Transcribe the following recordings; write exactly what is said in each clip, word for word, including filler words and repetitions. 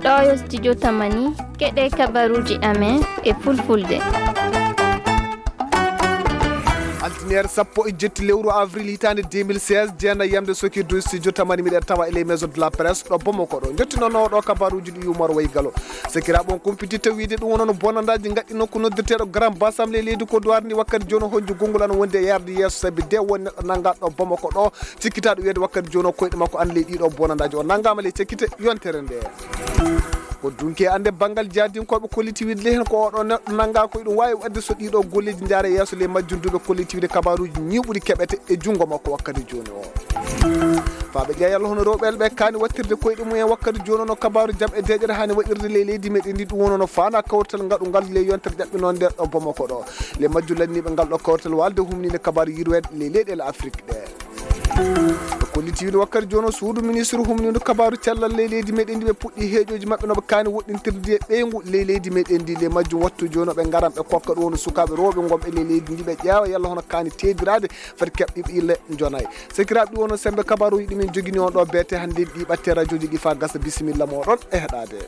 Ɗo yo studio Tamani, keɗe kabaruuji amen e fulfulde. Altiniere sappo e jetti lewru avril hitaande deux mille seize, jeena yamde sokirdu studio Tamani, miɗen tawa e les maisons de la presse ɗo Bamako ɗo. Njottinono ɗo kabaruuji ɗi Umar Waygalo. Sakiraaɓe, on kumpititta wiide ɗum wonono bonandaaji ngaɗɗi nokku noddirteeɗo Grand Bassam ley leydi Côte d'Ivoire ndi wakkati jooni, honju gonngol ana wondi e yarde yeeso, sabi de won neɗɗo nanngaa ɗo Bamako ɗo, cikkitaaɗo wiyeede wakkati jooni o koyɗe makko ana ley ɗiɗo bonandaaji. O nanngaama ley cakkite yontere nde. Ko dunki e annde banngal jaadinkooɓe kolliti wiide ley heen ko oɗo neɗɗo nanngaa ko ɗum waawi waɗde so ɗiɗo golleeji njaara yeeso. Ley majjum duuɓe kolliti wiide kabaaruuji ñiiɓuɗi keɓete e junngo makko wakkati jooni o. Faaɓe ƴeewa yalla hono rewɓe ɓe kaani wattirde koyɗe mum en wakkati jooni o, no kabaaru jam e deeƴere haani waɗirde ley leydi meɗen ndi, ɗum wonono faana kawrital ngaɗungal ley yontere ƴaɓɓinoonde ɗo Bamako ɗo. Ley majjum lanniiɓe ngal ɗo kawrital waalde humninde kabaaru yirweede ley leyɗeele Afrik ɗe. Ko kolliti wiide wakkati jooni o suudu ministre humnindu kabaaru cellal ley leydi meɗen ndi, ɓe puɗɗi heeƴooji maɓɓe no ɓe kaani woɗɗintirde e ɓeyngu ley leydi meɗen ndi. Ley majjum wattu jooni o ɓe ngaran ɓe kokka ɗum woni sukaaɓe rewɓe ngonɓe ley leydi ndi, ɓe ƴeewa yalla hono kaani teediraade fati keɓɗi ɓille njonayi. Sakiraaɓe, ɗi wono sembe kabaruuji ɗi min jogini on ɗo beete hannde, ɗi ɓatte rajooji ɗi faa gasa. Bisimilla mooɗon e heɗaade.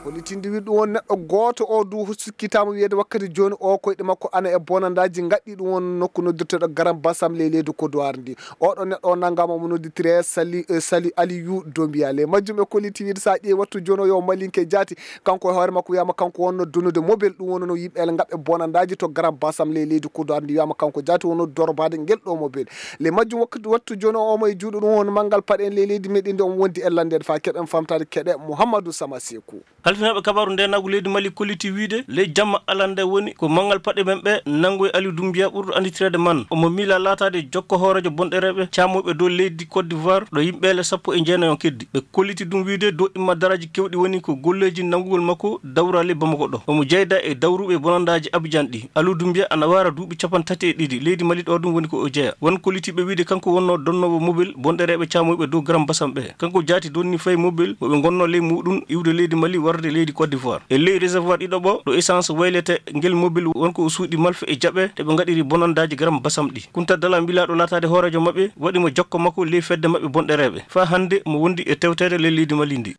Kollitinde wiɗ ɗum won neɗɗo gooto o du sikkitaama wiyeede wakkati jooni o koyɗe makko ana e bonandaaji ngaɗɗi ɗum won nokku noddirteeɗo Garam Basam ley leydi Kodowar ndi. Oɗo neɗɗo o nanngaama mo nodditiree Sali, eh, Sali Aliyu Dombiya. Ley majjum ɓe kolliti wiide so a ƴeewi wattu jooni o yo Malinke jaati, kanko e hoore makko wiyaama kanko wonno donude mobel ɗum wonno yimɓe ele ngaɓɓe bonandaaji to Garam Basam ley leydi Kodowar ndi, wiyaama kanko jaati wonno dorbaade ngel ɗo mobel. Ley majjum wakkati wattu jooni o omo e juuɗe ɗum won manngal paɗe en ley leydi meɗen ndi, omo wondi e lanndeede faa keɓen famtaade keɗe Mouhamadou Sama Seku. Halfinaaɓe kabaaru ndeenaagu leydi Mali kolliti wiide ley jamma alande woni ko manngal paɗe men ɓe nanngoyi Aliou Doumbia ɓurɗo annditireede man. Omo miila laataade jokko hooreejo bonɗereeɓe caamoyɓe dow leydi Côte d'Ivoire ɗo yimɓeele sappo e jeenayi on keddi. Ɓe kolliti ɗum wiide dow imma daraaji kewɗi woni ko golleeji nanngugol makko dawra ley Bamako ɗo. Omo jeyda e dawruɓe bonandaaji Abidjan ɗi. Aliou Doumbia ana waara duuɓi capanɗe tati e ɗiɗi leydi Mali ɗo ɗum woni ko o jeya. Won kollitiiɓe wiide kanko wonno donnoowo mobel bonɗereeɓe caamoyɓe dow Garam Basam ɓe. Kanko jaati donni fay mobel mo ɓe ngonno ley muɗum iwde leydi Mali warde leydi Côte d'Ivoire. E ley réservoir ɗiɗo ɓo ɗo essence waylete ngel mobel won ko o suuɗi malfe e jaɓe ɗe ɓe ngaɗiri bonandaaji Garam Basam ɗi. Kunta Dala mbilaaɗo laataade hooreejo maɓɓe waɗi mo jokko makko ley fedde maɓɓe bonɗereeɓe. Faa hannde mo wondi e tewteede ley leydi Mali ndi.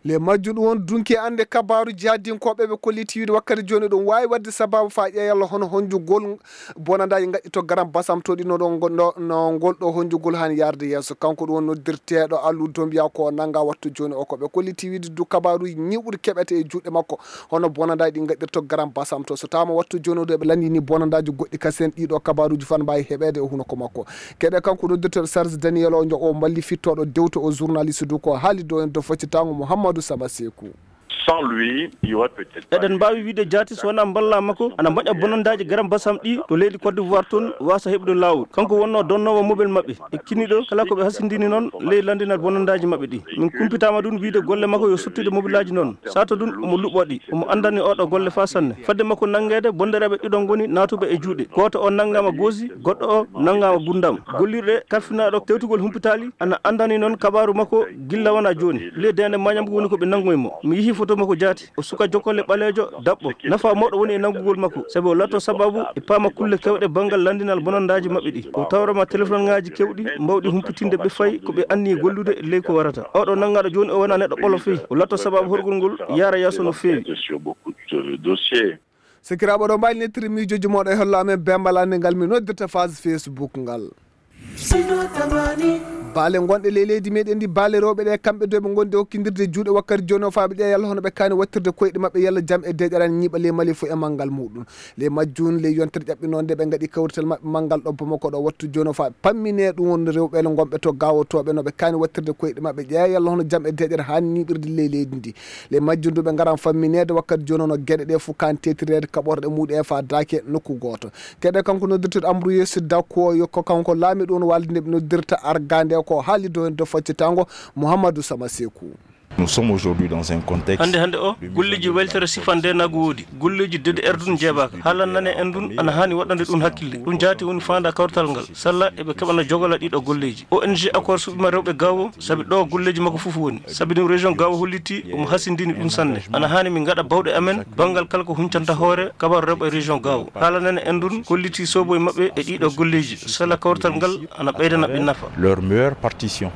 Ley majjum ɗum won dunki e annde kabaaru jihadinkooɓe ɓe kolliti wiide wakkati jooni ɗum waawi waɗde sabaabu faa ƴeewa yalla hono honjugol bonandaaji ngaɗɗi to Garam Basam to ɗi no ɗo ngo-, no, no ngol ɗo honjugol haani yaarde yeeso. Kanko ɗum won noddirteeɗo Aliou Doumbia ko o nanngaa wattu jooni o. Ko ɓe kolliti wiide du kabaaruuji ñiiɓuɗi keɓete e juuɗe makko hono bonandaaji ɗi ngaɗɗirto Garam Basam to. So tawaama wattu jooni o ɗo eɓe lanndini bonandaaji goɗɗi kasen ɗiɗo kabaaruuji faa mbaawi heɓeede e hunuko makko. Keɗe kanko noddirteeɗo Sarge Daniel o njo o malli fittooɗo dewto o journaliste du ko haali dow en do foccitaango Mouhamadou Sama Seku. Sans lui, il y aurait peut-être pas Eɗen eu mbaawi wiide jaati so wonaa mballa makko ana mbaɗa bonandaaji Garam Basam ɗi to leydi Côte d'Ivoire toon waasa heɓude laawol. Kanko wonno donnoowo mobel maɓɓe. E kiniɗo kala ko ɓe hasindini noon ley lanndinal bonandaaji maɓɓe ɗi. Min kumpitaama ɗum wiide golle makko yo sottude mobelaaji noon. Sato ɗum omo luɓɓo ɗi. Omo anndani oɗo golle faa sanne. Fadde makko nanngeede bondereeɓe ɗiɗo ngoni naatuɓe e juuɗe. Gooto o nanngaama goosi, goɗɗo o nanngaama gundam. Gollirɗe kaffinaaɗo tewtugol humpitaali ana anndani noon kabaaru makko gilla wona jooni. Ley deende mañam woni ko ɓe nanngoyi mo. Mi yihi foto makko jaati. O suka jokkole ɓaleejo, daɓɓo. Nafa mawɗo woni e nanngugol makko, sabi o laatto sababu e paama kulle kewɗe banngal lanndinal bonandaaji maɓɓe ɗi. O tawrama telefonŋaaji kewɗi mbawɗi humpitinde ɓe fay ko ɓe anni gollude ley ko warata. Oɗo nanngaɗo jooni o wona neɗɗo ɓolo fey. O laatto sababu horgol ngol yaara yeeso no feewi. Sur beaucoup de dossiers. Sikiraaɓe ɗo mbaali nettiri miijooji mooɗo e hollo amen bembal annde ngal mi noddirta phase Facebook ngal. Baale gonɗe ley leydi meɗen ndi, baale rewɓe ɗe, kamɓe dow ɓe gondi hokkindirde juuɗe wakkati jooni o faaɓe ƴeewa yalla hono ɓe kaani wattirde koyɗe maɓɓe yalla jam e deeƴere ana ñiiɓa ley Mali fof e manngal muɗum. Ley majjum, ley yontere ƴaɓɓinoonde ɓe ngaɗi kawrital maɓɓe manngal ɗo Bamako ɗo wattu jooni o faaɓe pammine ɗum won rewɓe le gonɓe to gawotooɓe no ɓe kaani wattirde koyɗe maɓɓe ƴeewa yalla hono jam e deeƴere haani ñiiɓirde ley leydi ndi. Ley majjum du ɓe ngaran fammineede wakkati jooni o no geɗe ɗe fof kaani tetireede kaɓorɗe muɗum e faa daake nokku gooto. Keɗe kanko noddirteeɗo Ambruyes Dakko, yo ko kanko laamiɗo on waalde nde ɓe noddirta Arga nde ko haali dow heen do faccitango Mouhamadou Sama Seku. Nous sommes aujourd'hui dans un contexte hannde hannde o golleeji weltere sifande nago woodi. Golleeji dede erdun jeebaaka haalan nane en ndun ana haani waɗande ɗun hakkille. Ɗun jaati woni faanda kawrital ngal salla eɓe keɓana jogola ɗiɗo golleeji. O n g accord suɓima rewɓe gaawo sabi ɗo golleeji makko fof woni sabi ɗum région gaawo hollitii omo hasindini ɗum sanne. Ana haani min ngaɗa bawɗe amen banngal kala ko huncanta hoore kabaru rewɓe région gaawo haalanane en ndun hollitii soboye maɓɓe e ɗiɗo golleeji salla kawrital ngal ana ɓeydana ɓe nafa. Leur meilleure partition.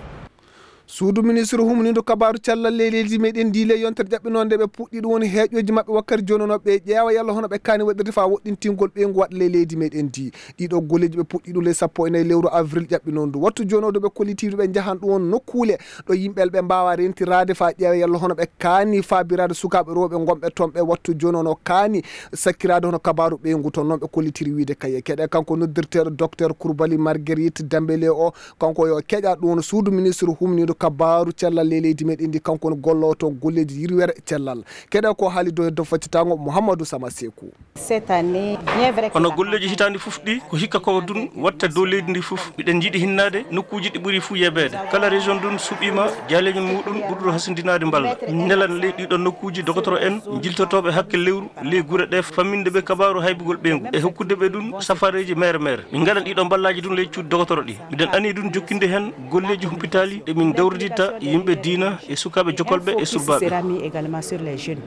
Suudu ministre humniidu kabaaru cellal ley leydi meɗen ndi le yontere ƴaɓɓinoonde ɓe puɗɗi ɗum woni heeƴooji maɓɓe wakkati jooni no ɓe ƴeewa yalla hono ɓe kaani waɗirde faa woɗɗintingol ɓeyngu waɗa ley leydi meɗen ndi. Ɗiɗo golleeji ɓe puɗɗi ɗum ley sappo e nayi lewru avril ƴaɓɓinoondu wattu jooni o ɗo ɓe kollitiidu ɓe njahan ɗum won nokkuule ɗo yimɓe ɓe mbaawa rentiraade faa ƴeewa yalla hono ɓe kaani faabiraade sukaaɓe rewɓe ngonɓe toon ɓe wattu jooni o no kaani sakkiraade hono kabaaru ɓeyngu toon noon ɓe kollitiri wiide kaye keɗe kanko noddirteeɗo docteur Kourbali Marguerite Dembélé o. Kanko yo keƴa ɗum woni suudu ministre humniiɗo kabaaru cellal ley leydi meɗen ndi kanko woni golloowo toon golleeji yirwere cellal. Keɗa ko haali dow heddo faccitango Mouhamadou Sama Sekou. Cette année, bien vrai que hono la golleeji campagne hitaande fof ɗi ko hikka ko ɗum watta dow leydi ndi fof miɗen njiɗi hinnaade nokkuuji ɗi ɓuri fuu yebeede kala région ɗum suɓiima jaaleeji muɗum ɓurɗo hasindinaade mballa nelan ley ɗiɗo nokkuuji dogotoro en jiltotooɓe hakke lewru ley gure ɗe famminde ɓe kabaaru haybugol ɓeyngu e hokkude ɓe ɗum safareeji mere mere min ngaɗan ɗiɗo mballaaji ɗum ley cuuɗi dogotoro ɗi miɗen ani ɗum jokkinde heen golleeji humpitaali ɗe min dawriditta yimɓe diina e sukaaɓe jokolɓe e surbaaɓe. Sera mis également sur les jeunes.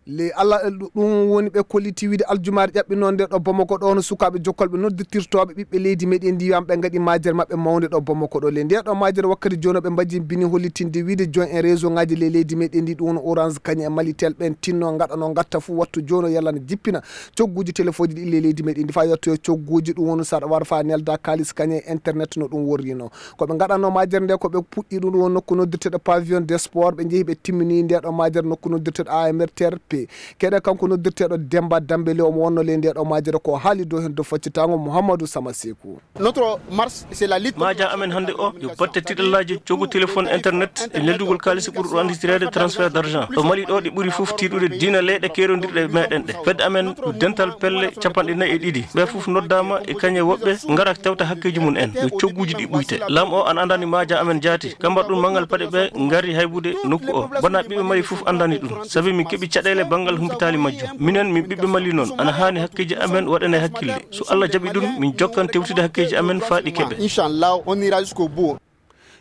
Le allah ɗum woni ɓe kolliti wiide aljumaare ƴaɓɓi noon nde ɗo bomoko ɗo no sukaaɓe jokkolɓe noddirtirtooɓe ɓiɓɓe leydi meɗen ndi wiyaama ɓe ngaɗi majere maɓɓe mawnde ɗo bomoko ɗo le nde ɗo majere wakkati jooni ɓe mbaji bini hollitinde wiide jooni e réseau ngaji le leydi meɗen ndi ɗum woni orange kañum e malitel ɓen tinno ngaɗano ngatta fof wattu jooni o yalana jippina cogguuji téléphone ji ɗi le leydi meɗen ndi fa yettoyo cogguuji ɗum woni saɗa wara fa nelda kalis kañum e internet no ɗum worrino. Ko ɓe ngaɗanno majere nde ko ɓe puɗɗi ɗum ɗum woni nokku noddirteɗo pavillon des sports ɓe njehi ɓe timmini nde ɗo majere nokku noddirteɗo amrtrp. Keɗe kanko noddirteɗo Demba Dambele omo wonno ley nde ɗo majere ko haali dow hen dow faccitango Mouhamadou Sama Sekou. Notre marche c'est la lutte. Maja amen hannde o yo batte tiɗallaaji coggu téléphone internet e neldugol kaalisi ɓurɗo annditireede transfert d'argent ɗo mali ɗo ɗi ɓuri fof tiiɗude diina leyɗe keerondirɗe e meɗen ɗe fedde amen yo dental pelle capanɗe nayi e ɗiɗi ɓe fof noddaama e kañe woɓɓe ngara tewta hakkeeji mum en yo cogguuji ɗi ɓuyte. Laam o ana anndani maaja amen jaati ka mbaɗɗun manngal paɗe ɓe ngari haybude nokku o bona ɓiɓɓe mali fof anndani ɗum sabi min keɓi caɗeele banngal humpitaali majjum minen min ɓiɓɓe mali noon ana haani hakkeeji amen waɗane hakkille so allah jaɓi ɗum min jokkan tewtude hakkeeji amen faa ɗi keɓe. Inchallah on ira jusqu'au bout.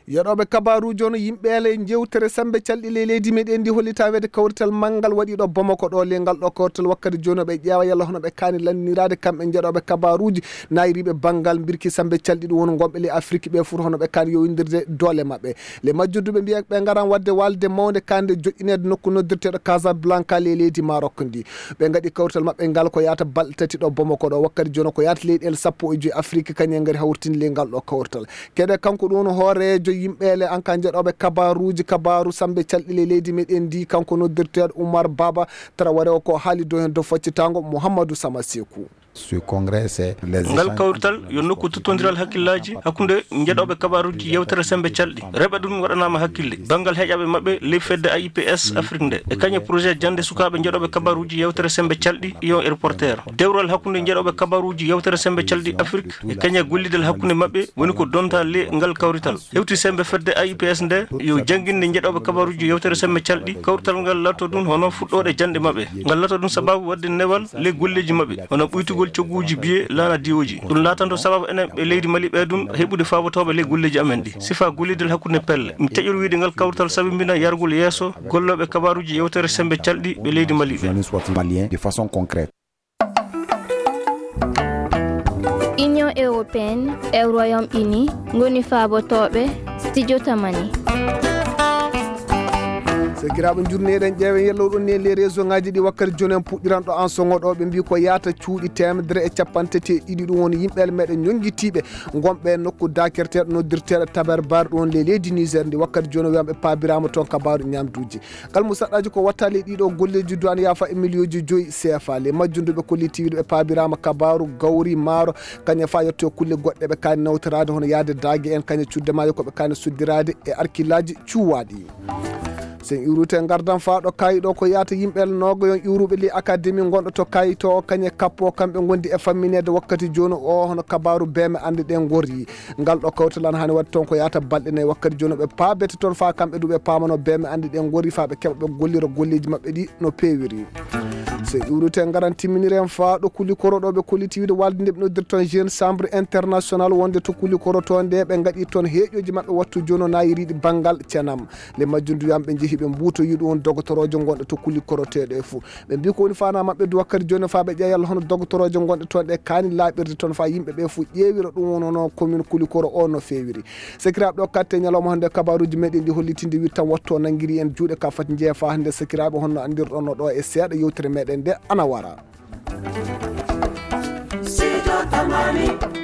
Yeɗooɓe kabaruuji on yimɓe ele njewtere sembe calɗi ley leydi meɗen ndi hollita weede kawrital manngal waɗiɗo bomoko ɗo le ngal ɗo kawrital wakkati jooni ɓe ƴeewa yalla hono ɓe kaani lanniraade kamɓe jeɗooɓe kabaruuji nayriiɓe banngal mbirki sembe calɗi ɗum woni ngonɓe ley afrik ɓe fof hono ɓe kaani yowindirde doole maɓɓe. Le majjudduɓe mbiya ɓe ngaran waɗde walde mawnde kande joƴƴineede nokku noddirteeɗo casablanca ley leydi marok ndi. Ɓe ngaɗi kawrital maɓɓe ngal ko yahata balɗe tati ɗo bomoko ɗo wakkati jooni ko yahata leyɗeele sappo e joyi afrik kañum ngari hawritini le ngal ɗo kawrital. Keɗe kanko ɗum hooreejo yimɓeele an ka jeɗooɓe kabaruuji kabaru sambe calɗi ley leydi meɗen ndi kanko noddirteeɗo Oumar Baba Traoré o ko haali dow heen dow faccitango Mouhamadou Sama Sekou. Ce congrès c'est les ngal kawrital yo nokku tottondiral hakkillaaji hakkunde jeɗooɓe kabaruuji yewtere sembe calɗi reɓe ɗum waɗanaama hakkille banngal heƴaaɓe maɓɓe ley fedde aips afrik nde e kañe projet jannde sukaaɓe jeɗooɓe kabaruuji yewtere sembe calɗi ion e reporter dewral hakkunde jeɗooɓe kabaruuji yewtere sembe calɗi afrik e kañe gollidal hakkunde maɓɓe woni ko donta le ngal kawrital hewti sembe fedde aips nde yo jannginde jeɗooɓe kabaruuji yewtere sembe calɗi kawrital ngal latto ɗum hono fuɗɗooɗe janɗe maɓɓe ngal latto ɗum sababu waɗde newal le golleeji maɓɓe hono ɓuytugol cogguuji biye laana diwooji ɗum laatanto sababu enen ɓe leydi mali ɓe ɗum heɓude faabotooɓe le golleeji amen ɗi sifa gollidal hakkunde pelle mi taƴor wiide ngal kawrital sabimbina yargol yeeso gollooɓe kabaruuji yewtere sembe calɗi ɓe leydi mali ɓe. Malien de façon concrète. Union européenne e Royaume Uni ngoni faabotooɓe studio tamani. Sakiraaɓe njurneeɗen ƴeewen yellow ɗon ni e les réseau ngaji ɗi wakkati jooni en puɗɗiranɗo an soŋo ɗo ɓe mbi ko yaata cuuɗi teemedere e capanɗe tati e ɗiɗi ɗum woni yimɓeele meɗen ñonngitiiɓe ngonɓe nokku dakerteeɗo noddirteeɗo taber bar ɗum woni le leydi niger ndi wakkati jooni o wiyama ɓe paabiraama toon kabaaru ñamduuji. Ngal musaɗɗaaji ko wattaali e ɗiɗo golleeji duwaan yaafa e miliyooji joyi cfa le majjunduɓe kolliti wiide ɓe paabiraama kabaaru gawri maaro kañum fa yetto e kulle goɗɗe ɓe kaani nawtoraade hono yahde daage en kañum cudde maayo ko ɓe kaani suddiraade e arkillaaji cuwaaɗi. Sen iwrute ngardan faa ɗo kaayi ɗo ko yaata yimɓe noogayon iwruɓe li akademi gonɗo to kaayi to kañe kappo kamɓe gondi e fammineede wakkati jooni o hono kabaaru beeme annde ɗe ngori. Ngal ɗo kawtalan hani waɗi toon ko yaata balɗe nayi wakkati jooni ɓe paabete toon faa kamɓe du ɓe paamano beeme annde ɗe ngori faa ɓe keɓa ɓe gollira golleeji maɓɓe ɗi no peewiri. So iwrute ngaran timminiren faa ɗo kuli koro ɗo ɓe kolliti wiide walde nde ɓe noddirton jeune chambre international wonde to kuli koro to nde ɓe ngaɗi toon heeƴoji maɓɓe wattu jooni o naayiriɗi banngal cenam. Le majjum duyaam ɓe njehi ɓe mbuutoyi ɗum on dogotorojo gonɗo to kuli koroteɗo e fuu. Ɓe mbi ko woni fana maɓɓe du wakkati jooni faa ɓe ƴeewa yalla hono dogotorojo gonɗe toon ɗe kaani laaɓirde toon faa yimɓe ɓe fuu ƴeewira ɗum wonno commune kuli koro o no feewiri. Sakiraaɓe ɗo katte ñalawma hannde kabaruuji meɗen ɗi hollitinde wiɗ tan wattu o nanngiri en juuɗe ka fati njeeya faa hannde sakiraaɓe honno anndirɗon no ɗo e seeɗa yewtere meɗen nde ana wara. Sijo Tamani.